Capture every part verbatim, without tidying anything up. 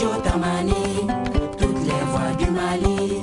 Tamani, toutes les voix du Mali.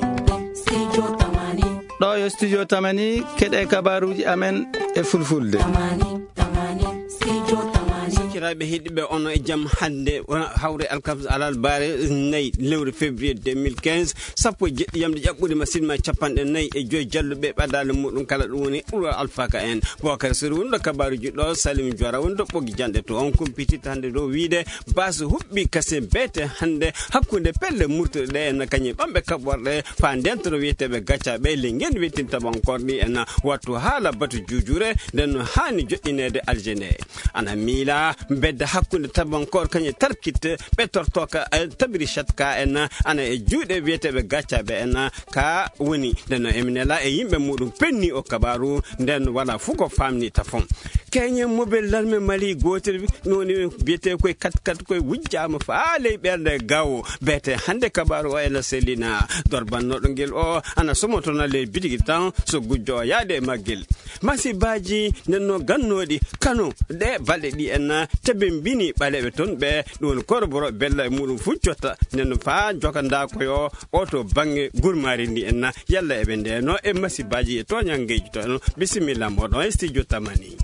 Studio Tamani. Ɗo yo Studio Tamani, keɗe kabaruuji amen e fulfulde. Tamani, Tamani, Studio Tamani. Sakiraaɓe heɗiɓe, ono e jam hannde, wona hawre alkamsa alarbaare nayi lewru février deux mille quinze, sappo e jeɗɗi yamde ƴaɓɓude ma sinma capanɗe nayi e joyi jalluɓe ɓadaale muɗum kala ɗum woni ɓurwa alfaka en. Bokar Sori woni ɗo kabaruuji ɗo, Salim Jora woni ɗo ɓoggi janɗe to. On kumpititta hannde ɗo wiide Baasi huɓɓi kasen beete hannde hakkunde pelle murtuɗe ɗe en kañum ɓamɓe kaɓorɗe faa ndentoro wiyeteeɓe gaccaɓe ley ngenndi wiyeteendi tabankor ɗi en wattu haala batu juujure nden no haani joɗɗineede alje nde. Ana miila mbedda hakkunde tabankor kañum tarkit ɓe tortooka e tabiri chatka en ana e juuɗe wiyeteeɓe gaccaɓe en ka woni nden no eminela e yimɓe muɗum penni o kabaru nden wala fuu ko famni tafon. Keñe mobel larme Mali gootel wi-, no woni biyetee koye kat kat koye wujjaama faa ley ɓernde gawo. Beete hannde kabaaru o ena sellina. Dorbannooɗo ngel o ana somotona ley bitigi tan so gujjo o yaade e maggel. Masibaaji nden no gannooɗi Kano ɗe balɗe ɗi en tebembini ɓaleeɓe toon ɓe ɗum woni koroboro bella e muɗum fuu cotta nden no faa jokandaa koyo o to baŋnge gurmaari ndi en yalla eɓe ndeno e masibaaji e tooñanngeeji to en. Bisimilla mooɗon e studio Tamani.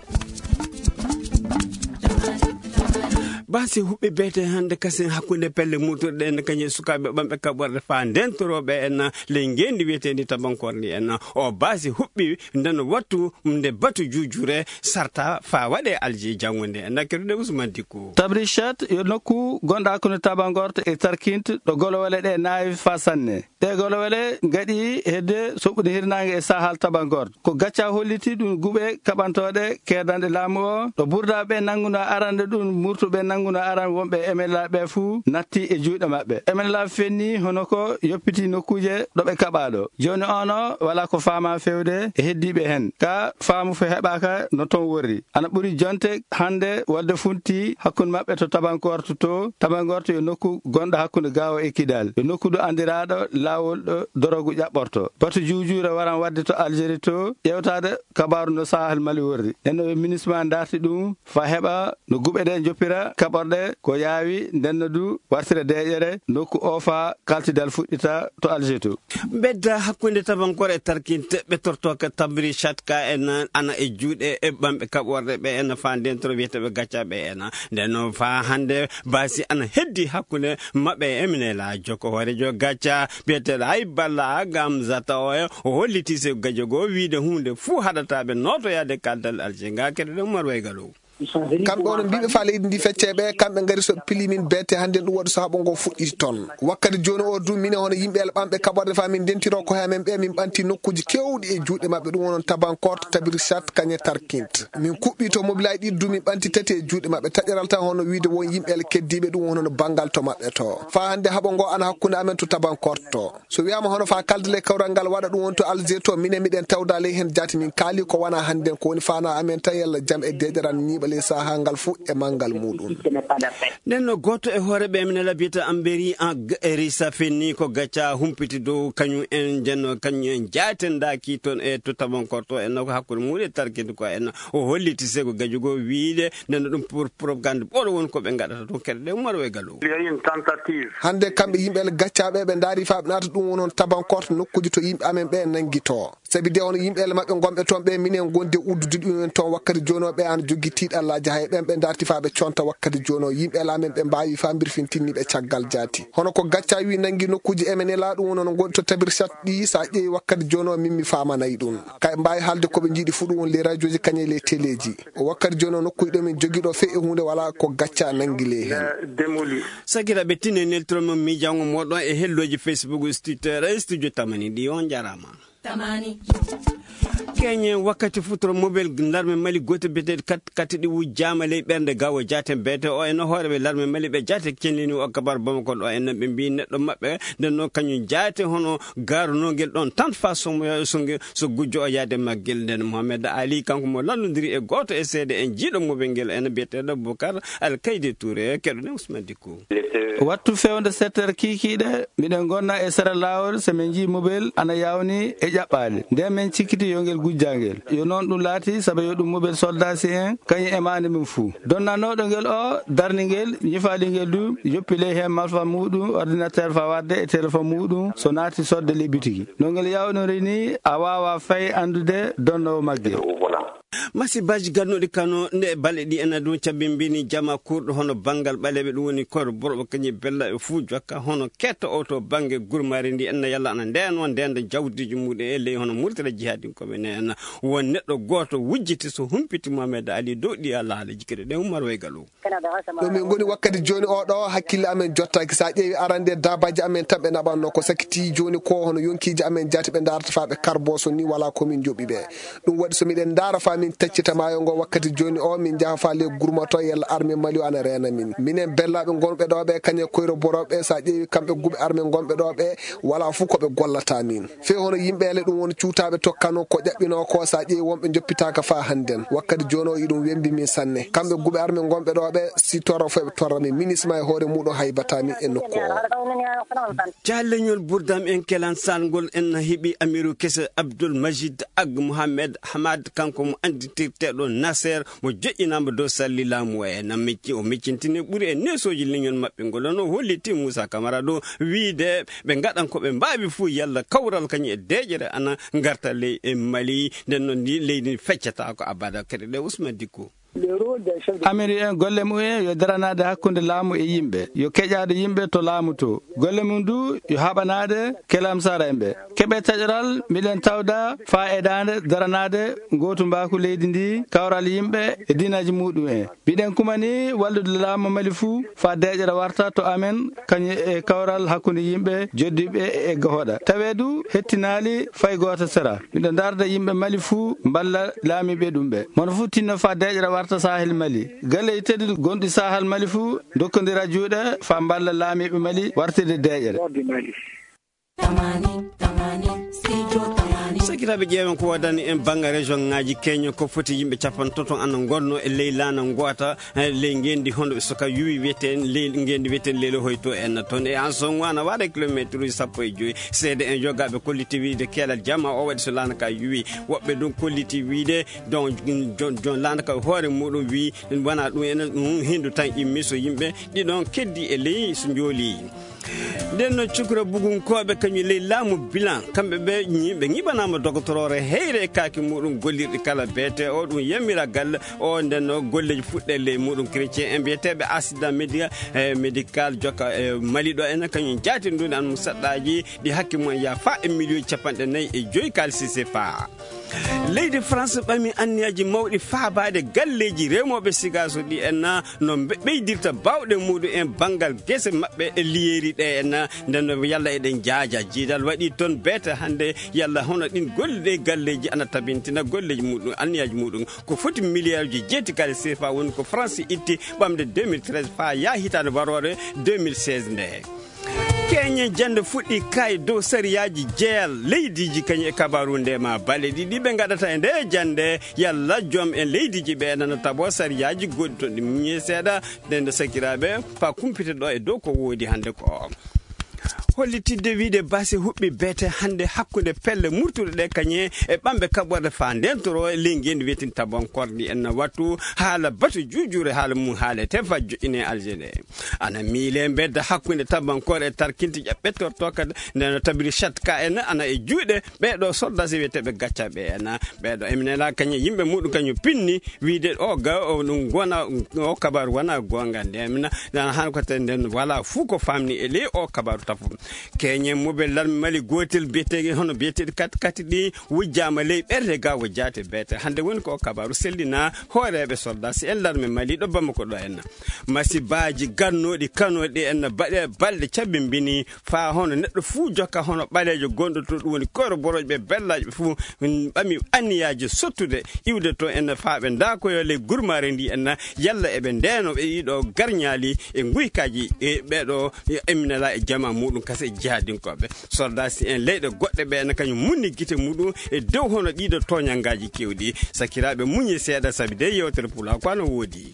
Baasi huɓɓi beete hannde kasen hakkunde pelle muturɗe en kañum e sukaaɓe ɓamɓe kaɓorɗe faa ndentorooɓe en ley ngeenndi wiyeteendi tabankor ndi en. O baasi huɓɓi nden wattu nde batu juujure sarta faa waɗe alji janngo nde en. Nakkerude Usman Dikko. Tabrichat yo nokku gonɗo hakkunde Tabangorto e Tarkint ɗo golowole ɗe naawi faa sanne. Ɗee golowole ngaɗi hedde soɓɓude hirnaange e Sahal Tabangor. Ko gacca holliti ɗum guɓe kaɓantooɗe keedanɗe laamu o, ɗo burdaaɓe nannguno arande ɗum murtuɓe nannguno aran wonɓe e M L A ɓe fuu natti e juuɗe maɓɓe. M L A fenni hono ko yoppiti nokkuuje ɗo ɓe kaɓaaɗo. Jooni ono wala ko faama fewde e heddiiɓe hen. Ka faamu fe heɓaaka no ton worri. Ana ɓuri jonte hannde waɗde funti hakkunde maɓɓe to Tabankorto to. Tabankorto yo nokku gonɗo hakkunde Gaawo e Kidal. Yo nokku ɗo anndiraaɗo laawol ɗo dorogu ƴaɓɓorto. Batu juujuure waran waɗde to Algérie to, ƴeewtaade kabaaru no Sahel Mali worri. Nden no ɓe minisma darti ɗum, faa heɓa no guɓe ɗe njoppira kaɓorɗe ko yaawi, nden no du wartira deeƴere nokku o faa kaltidal fuɗɗita to Algérie to. Bedda hakkunde Tabankore e Tarkinte, ɓe tortooka Tabri Chatka en ana e juuɗe e ɓamɓe kaɓorɗe ɓe en faa ndentoro wiyeteeɓe gaccaɓe en. Nden noon faa hannde baasi ana heddi hakkunde maɓɓe e Eminelaajo ko hooreejo gacca biyeteeɗo Hayballa Gamzata o, o holliti se gajo goo wiide huunde fuu haɗata ɓe nootoyaade kaldal Alger ngaa keɗoɗen Umar Waygalo. Kamɓe onon mbiiɓe faa leydi ndi feccee ɓe, kamɓe ngari so ɓe pilii min beete hannde ɗum waɗi so haɓo ngo fuɗɗiti toon. Wakkati jooni o du, minen hono yimɓe el ɓamɓe kaɓorɗe faa min ndentiro ko he amen ɓe, min ɓanti nokkuuji keewɗi e juuɗe maɓɓe, ɗum wonon Tabankort, Tabirsat, kañe Tarkint. Min kuɓɓi to mobilaaji ɗi du, min ɓanti tati e juuɗe maɓɓe. Taƴeral tan hono wiide won yimɓe el keddiiɓe ɗum wonon banngal to maɓɓe to. Faa hannde haɓo ngo ana hakkunde amen to Tabankort to. So wiyaama hono faa kaldal e kawral ngal waɗa ɗum won to Alger to, minen miɗen tawda ley heen jaati min kaali ko wona hannden ko woni faanaa amen tan yalla jam e deeƴeral ñiiɓa ley sahaa ngal fuu e manngal muuɗum. Nden no gooto e hooreeɓe amen e labiyata Amberi en Erisa fenni ko gacca humpiti dow kañum en njenno kañum en jaatendaaki toon e to Tabankort to en no ko hakkunde muuɗum e Tarkinte ko en o holliti sego gajo goo wiide nden no ɗum pour propagande ɓolo won ko ɓe ngaɗata toon keɗoɗen Umar Waygalo. Hannde kamɓe yimɓe el gaccaaɓe ɓe ndaari faa ɓe naata ɗum wonon Tabankort nokkuuji to yimɓe amen ɓe nanngitoo. Sabi de on yimɓe el maɓɓe ngonɓe toon ɓe minen ngondi e uddude ɗum en toon wakkati jooni o ɓe ana jogii tiiɗallaaji hay ɓen ɓe ndaarti faa ɓe conta wakkati jooni o yimɓe el amen ɓe mbaawi faa mbirfintinni ɓe caggal jaati. Hono ko gacca wi nanngi nokkuuji M N L A ɗum wonon ngondi to Tabirsat ɗi so a ƴeewi wakkati jooni o min mi faamanay ɗum. Kay mbaawi haalde ko ɓe njiɗi fuu ɗum won ley rajooji kañe ley teleeji. O wakkati jooni o nokkuuji ɗo min jogii ɗo fey e huunde walaa ko gacca nanngi ley heen. Sakiraaɓe tine neltiro mon miijaango mooɗon e hellooji Facebook, Twitter, e studio Tamani ɗi on njaaraama. Tamani. Keñe wakkati futuro mobel larme Mali gooto biyeteeɗo kat kati ɗi wujjaama ley ɓernde gawo jaaten beete o en hooreɓe larme Mali ɓe jaate cellini o kabar Bamako ɗo en ɓe mbi neɗɗo maɓɓe nden noon kañum jaate hono gaarunongel ɗon tan faa somoya e songe so gujjo o yaade maggel nden Mohamed Ali kanko mo lallondiri e gooto e seede en jiiɗo mobel ngel en biyeteeɗo Bokar Alkayde Touré keɗoɗen Ousmane Dikko. Wattu fewde sept heures kiikiiɗe, miɗen ngonna e sera laawol, so min njii mobel ana yawni e ƴaɓɓaali. Nden min cikkiti Yo ngel gujjangel. Yo noon ɗum laati, sabu yo ɗum mobel soldasi en, kañum e maande mum fuu. Donnanooɗo ngel o, darni ngel, ñifaali ngel du, yoppi ley heen malfa muuɗum, ordinateur fa waɗde e téléphone muuɗum, so naati sodde ley bitigi. No ngel yawnoree ni, a waawa fay anndude donnoowo maggel. Masibaji gannuɗi Kano nde balɗe ɗi ena ɗum cabimbini jama kurɗo hono banngal ɓaleeɓe, ɗum woni koyro borɓe kañum e bellaɓe fuu jokka hono ketta o to bannge gurmari ndi enna yalla ana ndeno ndenda jawdiji muɗum e ley hono murtala jihadinkoɓe ne enna. Won neɗɗo gooto wujjiti so humpiti Mohamed Ali dow ɗi alaala jikkuɗe ɗe Umar Waygalu. Ɗo min ngoni wakkati jooni o ɗo, hakkille amen jottaaki. So a ƴeewi arande e daabaaji amen tan ɓe naɓanno ko sakiti jooni ko hono yonkiiji amen jaati ɓe ndaarata faa ɓe karbo so ni wala ko min njoɓi ɓe. Ɗum waɗi so miɗen ndaara faa min taccita maayo ngo wakkati jooni o, min njaha faa le gurmato yalla arme Mali o ana reena min. Minen bellaaɓe ngonɓe ɗo ɓe, kañe koyro borooɓe, so a ƴeewi kamɓe guɓe arme ngonɓe ɗo ɓe, wala fuu ko ɓe gollata min. Fee hono yimɓe ele ɗum won cuutaaɓe tokkano ko ƴaɓɓinoo ko, so a ƴeewi wonɓe njoppitaaka faa hannden. Wakkati jooni o iɗum wembi min sanne. Kamɓe guɓe arme ngonɓe ɗo ɓe, si torra fof ɓe torra min. Minisma e hoore muuɗum haybata min e nokku o. Jaalleñol Burdam en kelan salngol en heɓi Amiru Kese Abdul Majid Ag Mohamed Hamad, kanko mo annditirteeɗo Nasser, mo joƴƴinaama dow salli laamu o. E na mecci, o meccintini ɓuri e neesooji leñol maɓɓe ngol. Ono holliti Moussa Camara ɗo wiyde ɓe ngaɗan ko ɓe mbaawi fuu yalla kawral kañum e deeƴere ana ngarta ley e Mali. Nden noon ndi leydi ndi feccataako abada. Kadi ɗe Ousmane Dicko. Amérique en golle mum en yo daranaade hakkunde laamu e yimɓe, yo keƴaade yimɓe to laamu to. Golle mum du yo haɓanaade kelamsara en ɓe. Keɓe taƴoral, miɗen tawda faa edaande daranaade ngootu mbaaku leydi ndi, kawral yimɓe e diinaaji muɗum en. Mbiɗen kumani wallude laamu Mali fuu faa deeƴere warta to amen, kañum e kawral hakkunde yimɓe joddiiɓe e gahoɗa. Tawee du hettinaali fay gooto sera. Miɗo darda yimɓe Mali fuu mballa laamiiɓe ɗum ɓe. Mono fuu tinno faa deeƴere warta Sahel Mali. Galleeji tedduɗi gonɗi Sahel Mali fuu ndokkondira juuɗe faa mballa laamiiɓe Mali wartirde deeƴere. Tamani, tamani, studio tamani. Sakiraaɓe, ƴeewen ko woodani en bannga région ŋaaji. Keñe ko foti yimɓe capanɗe tato ana ngonnoo e ley laana ngoota, eh, ley ngenndi hono ɓe suka yuwi wiyeten ley ngenndi wiyeten Leylo Hoyto en. Toon e Anson ana waɗa kilomeetruuji sappo e joy. Seede en yogaaɓe kolliti wiyde keelal jama o waɗi so laana ka yuwi. Woɓɓe ɗum kolliti wiyde don, jon, jon laana ka hoore muɗum wi wona ɗum ene ɗum hindu tan immi so yimɓe ɗiɗon keddi e ley so njooli. Nden no cukra bugunkooɓe kañum ley laamu bilan, kamɓe ɓe ñi-, ɓe ñiɓanaama dogotoroore heyre e kaaki muɗum gollirɗi kala beete o, ɗum yamira galle o. Nden no golleeji fuɗɗe ley muɗum chrétien en mbiyeteeɓe accident médi-, eh, médical jokka e Mali ɗo enen kañum jaatindude an mo saɗɗaaji ɗi hakke mum yaa faa e miliyoji capanɗe nayi e joyi kaalisi sefa. Leydi France ɓami anniyaji mawɗi faabaade galleeji remooɓe sigaaso ɗi en na no mbe-, ɓeydirta baawɗe muɗum en banngal gese maɓɓe e liyeeri ɗe en na. Nden no yalla eɗen jaaja jiidal waɗi toon beete hannde yalla hono ɗin golle ɗe galleeji ana tabintina golleeji muɗum, anniyaji muɗum. Ko foti miliyaaruji jeeti kala sefa woni ko France itti ɓamde deux mille treize faa yaa hitaande waroore deux mille seize nde. Keñe jannde fuɗɗi kay dow sariyaaji jeyal leydiiji kañum e kabaaru nde ma bale ɗiɗi ɓe ngaɗata e nde jannde yalla joom en leydiiji ɓe nana tabo sariyaaji goɗɗi toon ɗi muñe seeɗa. Nden sakiraaɓe faa kumpite ɗo e dow ko woodi hannde ko. Hollitidde wiide base huɓɓi beete hannde hakkunde pelle murtuɗe ɗe kañe e ɓamɓe kaɓɓorde faa ndentoro e ley ngenndi wetin tabankorde en wattu haala batu juujure haala mum haalete faa joƴƴine Alger nde. Ana miile mbedda hakkunde tabankore e tarkinte ƴaɓɓettorto kadi nde no tabiri chat ka en ana e juuɗe ɓeɗo soldasi wiyeteɓe gaccaɓe en. Ɓeɗo emnela kañum yimɓe muɗum kañum pinni wiide o ga o ɗum gona o kabaru wona gonga nde emna. Nana han ko te nden wala fuu ko famni e ley o kabaru tafu. Keñe mobel larme Mali gotel biyetege hono biyeteɗi kat kati ɗi wujjama ley ɓerde ga wujjate bete. Hande woni ko kabaru sellina hooreɓe soldasi en larme Mali ɗo Bamako ɗo en. Masibaji gannoɗi kanoɗi en baɗe balɗe cabbimbini faa hono neɗɗo fuu jokka hono ɓaleejo gonɗo to ɗum woni koyro boroƴɓe bellaajo ɓe fuu ɓami anniyaaji sottude iwde to en faa ɓe ndaakoyo ley gurmaare ndi en yalla eɓe ndeeno ɓe ɗiɗo garñaali e nguykaaji e ɓeɗo emminala e jama muɗum kase jihadinkoɓe soldasi en leyɗe goɗɗe ɓe en kañum munni gite muɗum e dow hono ɗiɗo toñangaaji kewɗi. Sakiraaɓe muñi seeɗa sabi de yewtere pula ko ano woodi.